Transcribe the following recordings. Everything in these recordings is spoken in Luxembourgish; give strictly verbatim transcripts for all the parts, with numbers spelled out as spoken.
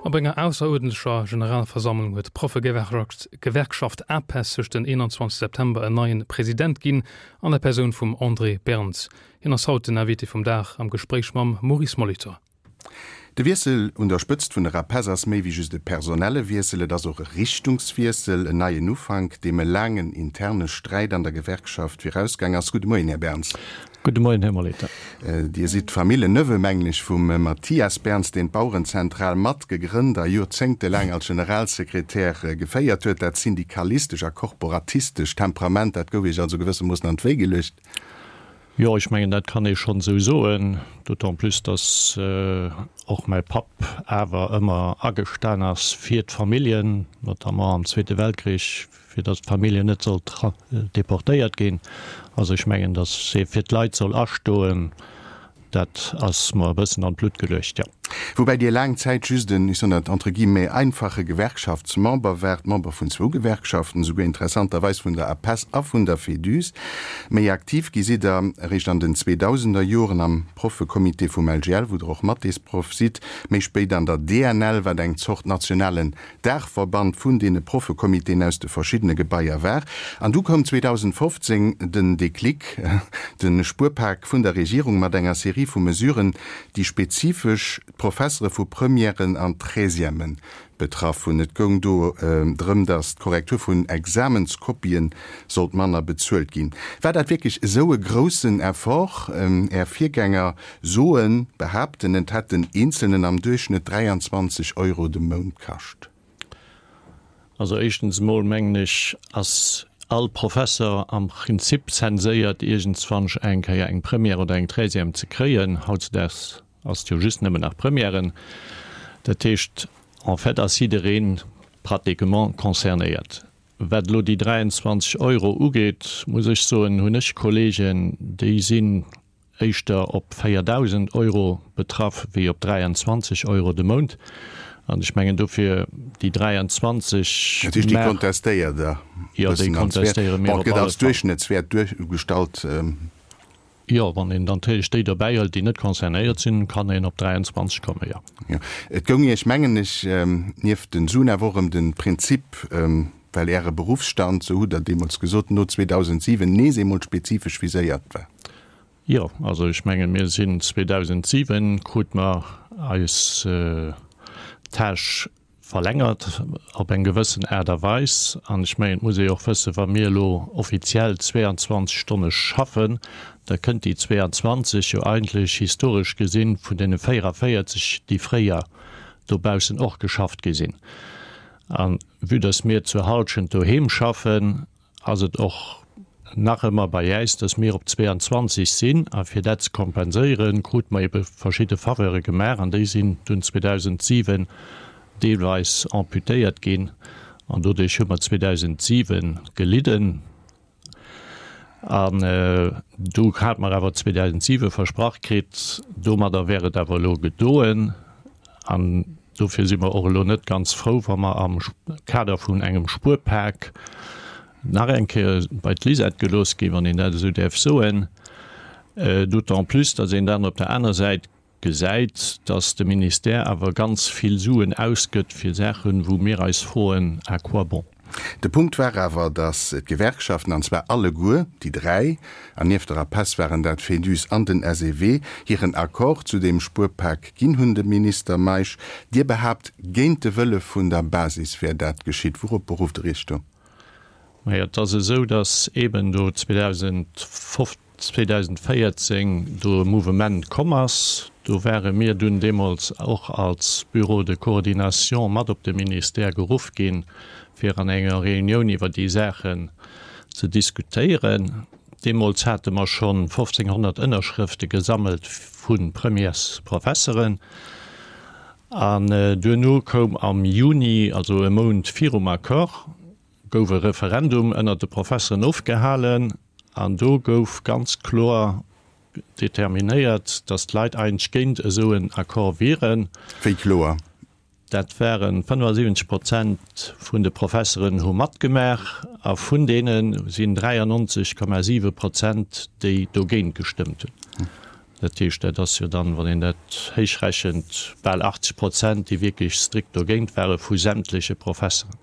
Op enger ausseruerdentlecher Generalversammlung huet d'Proffegewerkschaft APESS sech den eenanzwanzeg September en neien President ginn, an der Persoun vum André Berns. Hien ass haut den Invité vum Dag am Gespréich mam Maurice Molitor. De Wiessel un der Spëtzt vun der APESS ass méi wéi just e personelle Wiessel, et ass och e Richtungswiessel, en neien Ufank, deem e laangen interne Sträit an der Gewerkschaft virausgaang ass. Gudde Moien, Här Berns. Gudde Moien, Här Molitor. Dir sidd Familljenneveu, mengen ech, vum Mathias Berns, deen d'Bauerenzentral mat gegrënnt a joerzéngtelaang als Generalsekretär geféiert huet. Dat syndikalistesch a korporatistescht Temperament, dat gouf Iech also gewëssermoossen an d'Wéi geluecht. Jo, ech mengen, dat kann ee schonn esou soen, d'autant plus, dass och mäi Papp awer ëmmer agestan ass fir d'Familljen, notamment am Zweete Weltkrich, fir dass d'Familljen net sollt deportéiert ginn. Also ech mengen, dass ee fir d'Leit soll astoen, dat ass mer e bëssen an d'Blutt geluecht, jo. Woubäi Dir laang Zäit just en, ech soen dat entre guillemets, einfache Gewerkschaftsmember waart, Member vun zwou Gewerkschaften, esouguer interessanterweis vun der APESS a vun der Féduse. Méi aktiv gi sidd Der eréischt an den Zweedausenderjoren am Proffecomité vum L G L, wou Der och Mathésproff sidd, méi spéit an der D N L, wat eng Zort nationalen Daachverband vun deene Proffecomitéen aus de verschiddene Gebaier war. An du koum zweedausendfofzéng den Déclic, de Spuerpak vun der Regierung mat enger Serie vu Mesuren, déi spezifesch d'Professere vu Premièren an Treizièmen betraff hunn. Et goung do drëm, datt d'Korrektur vun Examenskopien sollt manner bezuelt ginn. War dat wierklech esou e groussen Effort? Är Virgänger soen, behaapten, et hätt den Eenzelnen am Duerchschnëtt dräianzwanzeg Euro de Mount kascht. Also éischtens emol mengen ech, ass all Professer am Prinzip censéiert, iergendzwanch eng Kéier eng Première oder eng Treizième ze kréien. Hautzedaags ass et jo just nëmmen nach Premièren. Dat heescht, en fait ass jidderee pratiquement concernéiert. Wat elo déi dräianzwanzeg Euro ugeet, muss ech soen, hunn ech Kollegen, déi sinn éischter op véierdausend Euro betraff wéi op dräianzwanzeg Euro de Mount. An ech mengen dofir déi dräianzwanzeg. Dat heescht, déi kontestéiert Der e Jo, déi bëssen als Wäert. kontestéiere mir Bon, et op gëtt alle als Fall. Duerchschnëttswäert duergestallt. Jo, wann een dann natierlech déi dobäi hëlt, déi net concernéiert sinn, kann een op dräianzwanzeg kommen, jo. Jo. Et goung Iech, mengen ech, nieft den Suen awer och ëm de Prinzip, well Äre Beruffsstand, sou hutt Der deemools gesot, no zweedausendsiwen nees eemol spezifesch viséiert war. Jo, also ech mengen, mir sinn zweedausendsiwen krute mer eis Tâche verlängert op eng gewëssen Aart a Weis. An ech mengen, et muss ee jo och wëssen, wa mir elo offiziell zweeanzwanzeg Stonne schaffen, da kënnt déi zweeanzwanzeg jo eigentlech historesch gesinn vun deene véierevéierzeg, déi fréier dobaussen och geschafft gi sinn. A vue dass mir zur Halschent doheem schaffen, ass et och nach ëmmer bei äis, dass mir op zweeanzwanzeg sinn. A fir dat ze kompenséieren, krute mer ebe verschidde Faveure gemaach an déi sinn dunn zweedausentsiwen deelweis amputéiert ginn. An doduerch hu mer zweedausentsiwen gelidden. An du hate mer awer zweedausentsiwe versprach kritt, domadder wär et awer elo gedoen. An dofir si mer och elo net ganz frou, wa mer am Kader vun engem Spuerpak nach eng Kéier bei d'Lisette gelooss ginn, wann een dat esou däerf soen, d'autant plus, datt een dann op der aner Säit gesäit, datt de Ministère awer ganz vill Suen ausgëtt fir Saachen, wou mir eis froen, à quoi bon? De Punkt war awer, datt d'Gewerkschaften, an zwar alleguer déi dräi, an nieft der APESS waren dat d'Fédus an den S E W, hiren Accord zu deem Spuerpak ginn hunn. De Minister Meisch, Dir behaapt, géint de Wëlle vun der Basis wär dat geschitt. Wourop berufft Der Iech do? Majo, et ass esou, datt eeben do zweedausendvéierzéng do e Mouvement komm ass. Do ware mir dunn deemools och als Bureau de coordination mat op de Ministère geruff ginn, fir an enger Reunioun iwwer déi Saachen ze diskutéieren. Deemools hate mer schonn fofzénghonnert Ënnerschrëfte gesammelt vu Premièresprofesseren. An duerno koum am Juni, also e Mount virum Accord, gouf e Referendum ënnert de Professeren ofgehalen an do gouf ganz kloer determinéiert, datt d'Leit eigentlech géint esou en Accord wieren. Wéi kloer? Dat ware fënnefasiwwenzeg Prozent vun de Professeren hu matgemaach a vun deene sinn dräiannonzeg Komma siwe Prozent, déi dogéint gestëmmt hunn. Dat heescht, dat ass jo dann, wann een dat héichrechent, bal achtzeg Prozent, déi wierklech strikt dogéint ware vu sämtleche Professeren.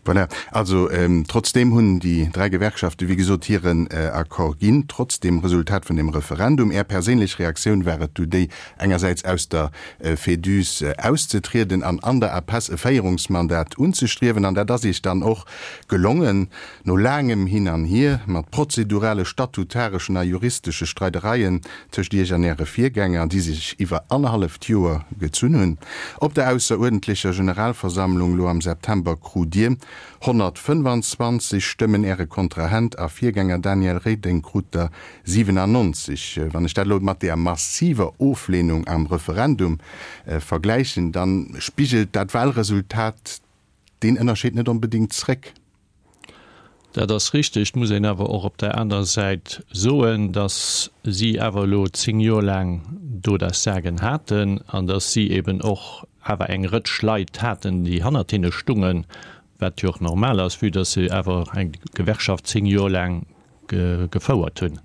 Voilà. Also trotzdeem hunn déi dräi Gewerkschafte wéi gesot hiren Accord ginn, trotz dem Resultat vun dem Referendum. Är perséinlech Reaktioun war et du déi, engersäits aus der Féduse auszetrieden an an der APESS e Féierungsmandat unzestriewen. An dat ass Iech dann och gelongen, no laangem Hin an Hier, mat prozedurale, statutareschen a juristesche Streidereien tëscht Iech an Äre Virgänger, déi sech iwwer annerhalleft Joer gezunn hunn. Op der ausseruerdentlecher Generalversammlung lo am September krut Dir honnertfënnefanzwanzeg Stëmmen, Äre Kontrahent a Virgänger Daniel Reding krut der siwenannonzeg. Wann ech dat elo mat där massiver Oflehnung am Referendum vergläichen, da spigelt dat Wahlresultat deen Ënnerscheed net onbedéngt zréck. Dat ass richteg. Et muss een awer och op där anerer Säit soen, datt si awer elo zéng Joer laang do das Sagen haten an datt si eben och awer eng Rëtsch Leit haten, déi hannert hinne stungen, wat jo och normal ass, vue datt se awer eng Gewerkschaft zéng Joer laang gefouert hunn.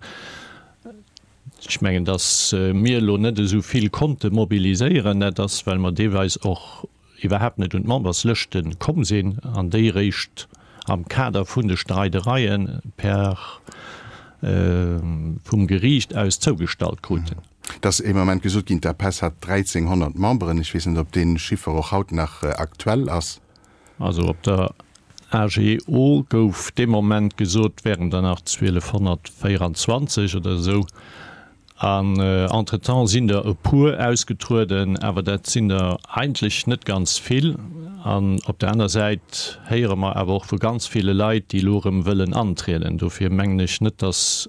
Ech mengen, datt mir elo net esou vill konnte mobiliséieren, dat ass, well mer deelweis och iwwerhaapt net un d'Memberslëschte komm sinn an déi eréischt am Kader vun de Streidereie per vum Geriicht aus zougestallt kruten. Et ass ee Moment gesot ginn, d'APESS hat dräizénghonnert Memberen. Ech weess net, ob dee Chiffer och haut nach aktuell ass. Also op der A G O gouf dee Moment gesot, wären der nach zwielefhonnertvéieranzwanzeg oder esou. An entretemps sinn der e puer ausgetrueden, awer dat sinn der eigentlech net ganz vill. An op der aner Säit héiere mer awer och vu ganz ville Leit, déi elo erëm wëllen antrieden. Dofir mengen ech net, datt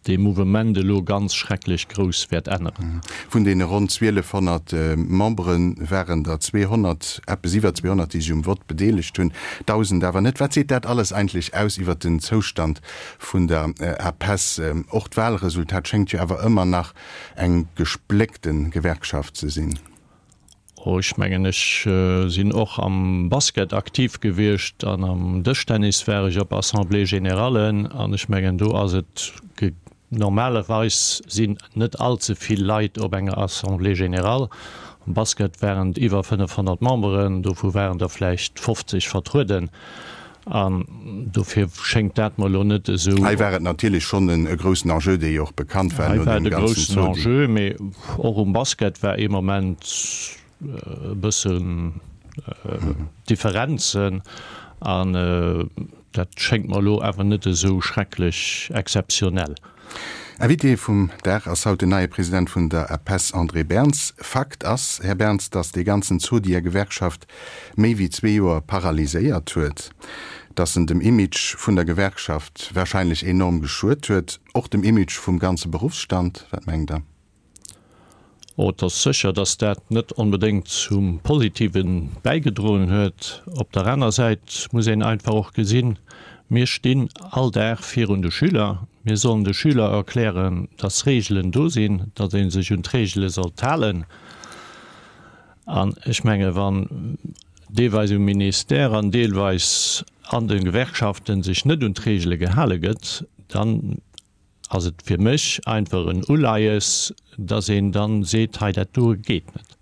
dee Mouvement elo ganz schrecklech grouss wäert änneren. Vun deene ronn zwielefhonnert Membere waren der zweehonnert, eppes iwwer zweehonnert, déi sech um Vott bedeelegt hunn, dausend awer net. Wat seet dat alles eigentlech aus iwwer den Zoustand vun der APESS? Och d'Wahlresultat schéngt jo awer ëmmer nach eng gespléckte Gewerkschaft ze sinn. Oh, ech mengen, ech sinn och am Basket aktiv gewiescht an am Dëschtennis war ech op Assemblées-générallen an ech mengen, do ass et, normalerweis sinn net all ze vill Leit op enger Assemblée générale. Am Basket waren et iwwer fënnefhonnert Memberen, dovu waren der vläicht fofzeg vertrueden. An dofir schéngt dat mer elo net esou. Hei war et natierlech schonn e groussen Enjeu, dee jo och bekannt war no deem ganzen Zodi. Hei war et e groussen Enjeu, mee och um Basket war ee Moment e bëssen Differenzen. An dat schéngt mer elo awer net esou schrecklech exzeptionell. Invité vum Dag ass haut den neie President vun der APESS André Berns. Fakt ass, Här Berns, datt dee ganzen Zodi Är Gewerkschaft méi wéi zwee Joer paralyséiert huet, datt en dem Image vun der Gewerkschaft warscheinlech enorm geschuet huet, och dem Image vum ganze Beruffsstand. Wat mengt Der? Oh, et ass sécher, datt dat net onbedéngt zum Positive bäigedroen huet. Op der aner Säit muss een einfach och gesinn, Mir stinn all Dag virun de Schüler. Mir sollen de Schüler erklären, datt Reegelen do sinn, datt ee sech un d'Reegele sollt halen. An ech menge wann deelweis um Ministère an deelweis an de Gewerkschaften sech net un d'Reegele gehale gëtt, dann ass et fir mech einfach en Uleies, dass een dann seet, hei dat doe geet net.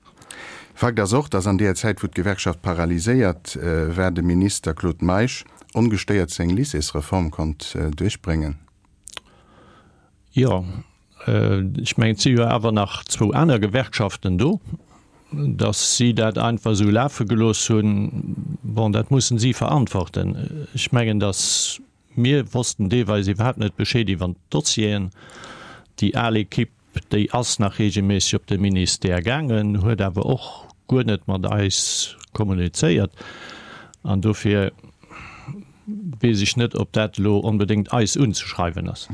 Fakt ass och, dass an deeër Zäit, wou d'Gewerkschaft paralyséiert war, de Minister Claude Meisch ongestéiert seng Lycéesreform konnt duerchbréngen. Jo, ech mengen, et si jo awer nach zwou aner Gewerkschaften do. Dass si dat einfach esou lafe gelooss hunn, bon, dat mussen si verantworten. Ech mengen, dass Mir wossten deelweis iwwerhaapt net Bescheed iwwer d'Dossieren. Déi al Ekipp, déi ass nach reegelméisseg op de Ministère gaangen, huet awer och guer net mat eis kommunizéiert. An dofir weess ech net, ob dat elo onbedéngt eis unzeschreiwen ass.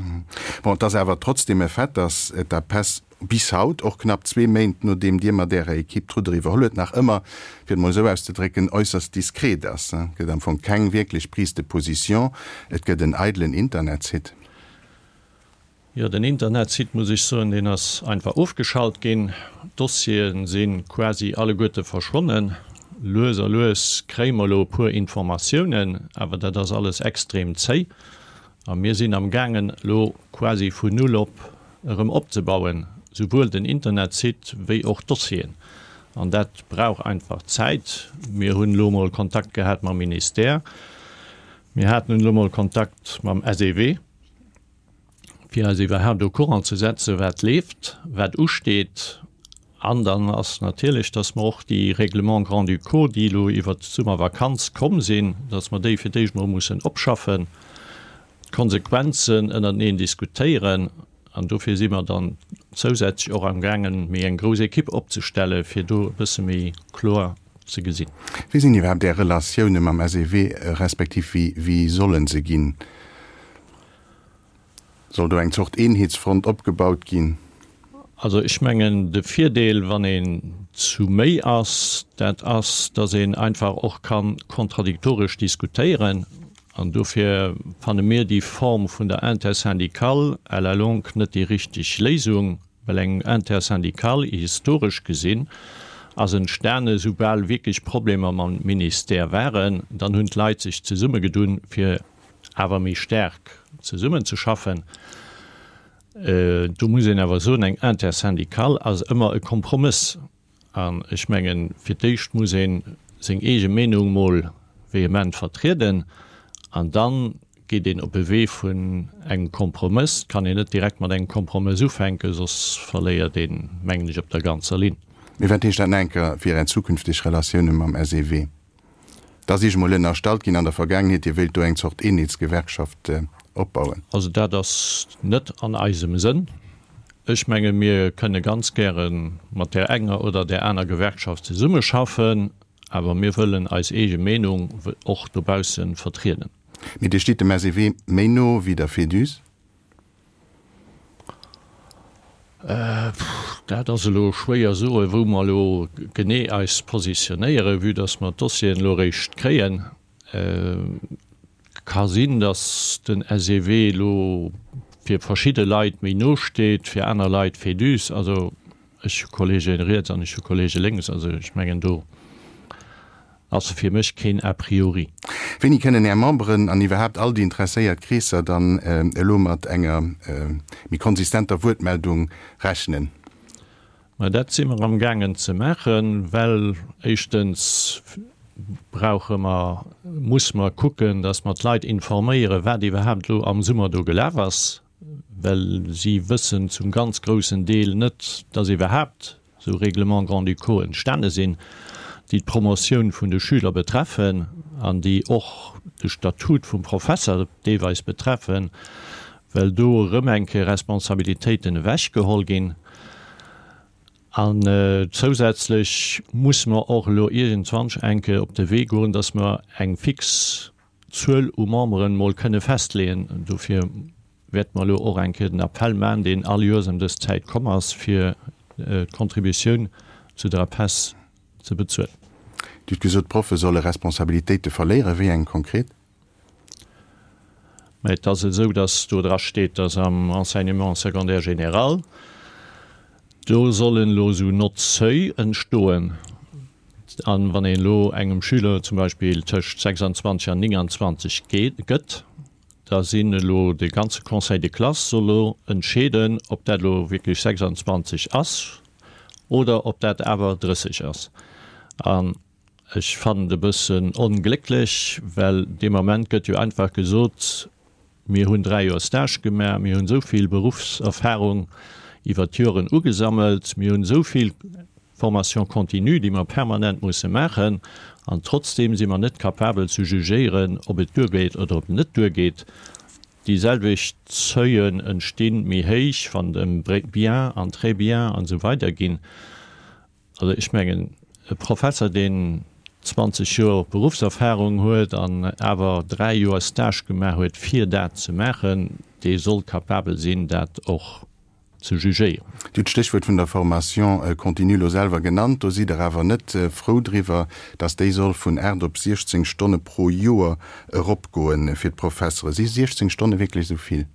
Bon, et ass awer trotzdeem e Fait, dass d'APESS bis haut, och knapp zwee Méint nodeem Dir mat Ärer Ekipp d'Rudder iwwerholl huet, nach ëmmer, fir et mol esou auszedrécken, äusserst diskret ass. Et gëtt am Fong keng wierklech Prise de position, et gëtt en eidelen Internetsite. Jo, den Internetsite, muss ech soen, deen ass einfach ofgeschalt ginn. D'Dossiere si quasi alleguerte verschwonnen. Lues a lues kréie mer elo e puer Informatiounen, awer dat ass alles extrem zéi. A mir sinn am gaangen, elo quasi vun Null op erëm opzebauen, souwuel den Internetsite wéi och d'Dossieren. An dat brauch einfach Zäit. Mir hunn elo mol Kontakt gehat mam Ministère. Mir haten elo mol Kontakt mam SEW, fir eis iwwerhaapt au courant ze setzen, wat leeft, wat usteet. An dann ass natierlech, dass mer och déi Règlements grand-ducaux, déi elo iwwert d'Summervakanz komm sinn, dass mer déi fir d'éischt mol mussen opschaffen, d'Konsequenzen ënnerteneen diskutéieren. An dofir si mer dann zousätzlech och amgaangen, méi eng grouss Ekipp opzestellen, fir do e bësse méi kloer ze gesinn. Wéi sinn iwwerhaapt Är Relatioune mam SEW, respektiv wéi, wéi solle se ginn? Soll do eng Zort Eenheetsfront opgebaut ginn? Also ech mengen, de Virdeel, wann een zu méi ass, dat ass, datt een einfach och ka kontradiktoresch diskutéieren. An dofir fanne mir déi Form vun der Intersyndicale à la longue net déi richteg Léisung, well eng Intersyndicale, historesch gesinn, ass entstane soubal wierklech Problemer mam Ministère waren. Dann hunn d'Leit sech zesummegedunn, fir awer méi staark zesummenzeschaffen. Do muss een awer soen, eng Intersyndicale ass ëmmer e Kompromëss. An ech mengen, fir d'éischt muss ee seng eege Meenung mol vehement vertrieden an da geet een op e Wee vun engem Kompromëss. Et kann een net direkt mat engem Kompromëss ufänken, soss verléiert een, mengen ech, op der ganzer Linn. Mee wat heescht dat nach eng Kéier fir Är zukünfteg Relatioune mam SEW? Et ass Iech emol ënnerstallt ginn an der Vergaangenheet, Dir wéilt do eng Zort Eenheetsgewerkschaft opbauen. Also dat ass net an eisem Sënn. Ech menge mir kënne ganz gäre mat där enger oder där aner Gewerkschaft zesummeschaffen, awer mir wëllen eis eege Meenung och dobausse vertrieden. Mee Dir stitt dem SEW méi no wéi der Féduse? Dat ass elo schwéier soen, wou mer elo genee eis positionéieren, vue dass mer d'Dossieren elo eréischt kréien. Ka sinn, dass den SEW elo fir verschidde Leit méi no steet, fir aner Leit Féduse. Also ech hu Kolleegen riets an ech hu Kolleege lénks. Also ech mengen do ass fir mech keen a priori. Wéini kënnen Är Memberen an iwwerhaapt all déi interesséiert Kreesser dann elo mat enger méi konsistenter Wuertmeldung rechnen? Mä dat si mer amgaangen ze maachen, well éischtens brauche mer, musse mer kucken, datt mer d'Leit informéieren, wat iwwerhaapt elo am Summer do gelaf ass, well si wëssen zum ganz groussen Deel net, datt iwwerhaapt esou Règlements grand-ducaux entstane sinn, déi d'Promotioun vun de Schüler betreffen an déi och de Statut vum Professer deelweis betreffen, well do erëm eng Kéier Responsabilitéiten ewechgeholl ginn. An zousätzlech musse mer och elo iergendwann eng Kéier op de Wee goen, dass mer eng fix Zuel u Memberen mol kënne festleeën. Dofir wäerte mer elo och eng Kéier den Appell maachen, deen all Joers ëm dës Zäit komm ass, fir d'Contributioun zu der APESS ze bezuelen. Dir hutt gesot, d'Proffe solle Responsabilitéite verléieren. Wéi eng konkret? Mä et ass esou, datt do dra steet, datt am Enseignement secondaire général, do sollen elo esou Notes-seuil entstoen. A wann een elo engem Schüler zum Beispill tëscht sechsandzwanzeg an néngandzwanzeg gëtt, da sinn elo de ganze Conseil de classe soll elo entscheeden, ob dat elo wierklech sechsandzwanzeg ass oder ob dat awer drësseg ass. An ech fannen et e bëssen onglécklech, well dee Moment gëtt jo einfach gesot, Mir hunn dräi Joer Stage gemaach, mir hunn esou vill Beruffserfahrung iwwert d'Joren ugesammelt, mir hunn esou vill Formation continue, déi mer permanent musse maachen, an trotzdeem si mer net capabel ze jugéieren, ob et duergeet oder ob et net duergeet. Déi selwecht Seuilen entsti méi héich, wann et ëm bien an très bien an esou weider ginn. Also ech mengen, e Professer, deen zwanzeg Joer Beruffserfahrung huet an awer dräi Joer Stage gemaach huet, fir dat ze maachen, dee soll capabel sinn, dat och ze jugéieren. Dir hutt d'Stéchwuert vun der Formation continue elo selwer genannt. Do sidd Der awer net frou driwwer, datt déi soll vun aacht op siechzéng Stonne pro Joer eropgoen fir d'Professere. Si siechzéng Stonne wierklech esou vill?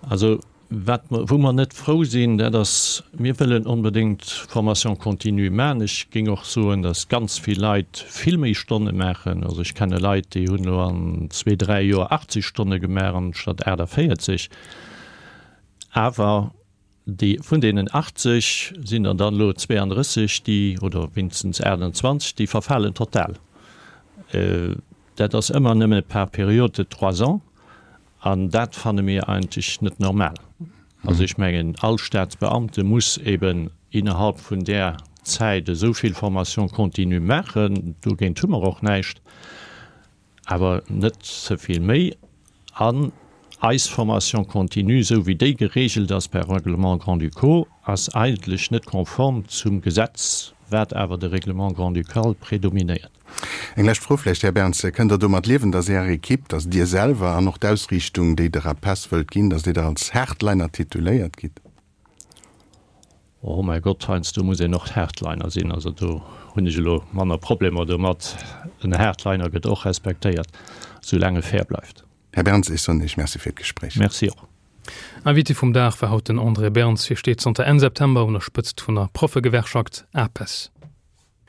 Also wat mer, wou mer net frou sinn, dat ass, mir wëllen onbedéngt Formation continue maachen. Ech géing och soen, datt ganz vill Leit vill méi Stonne maachen. Also ech kenne Leit, déi hunn elo an zwee, dräi Joer achtzeg Stonne gemaach anstatt aachtavéierzeg. Awer déi, vun deenen achtzeg sinn der dann elo zweeandrësseg, déi, oder wéinstens aachtanzwanzeg, déi verfalen total. Dat ass ëmmer nëmme par période de trois ans an dat fanne mir eigentlech net normal. Also ech mengen, all Staatsbeamte muss eben innerhalb vun där Zäit esou vill Formation continue maachen, dogéint hu mer och näischt, awer net ze vill méi. An eis Formation continue, esou wéi déi geregelt ass per Règlement grand-ducaux, ass eigentlech net konform zum Gesetz, wat awer de Règlement grand-ducal predominéiert. Eng lescht Fro vläicht, Här Berns, Kënnt Der domat liewen, datt Är Equipe, datt Dir selwer an och d'Ausriichtung, déi der APESS wëllt ginn, datt Dir da als Hardliner tituléiert gitt? Oh mäi Gott, heiansdo muss een och Hardliner sinn. Also do hunn ech elo manner Problemer domat. En Hardliner gëtt och respektéiert, soulaang e fair bleift. Här Berns, ech soen Iech Merci fir d'Gespréich. Merci och. Invité vum Dag war haut den André Berns. Hie steet zanter Enn September un der Spëtzt vun der Proffegewerkschaft APESS.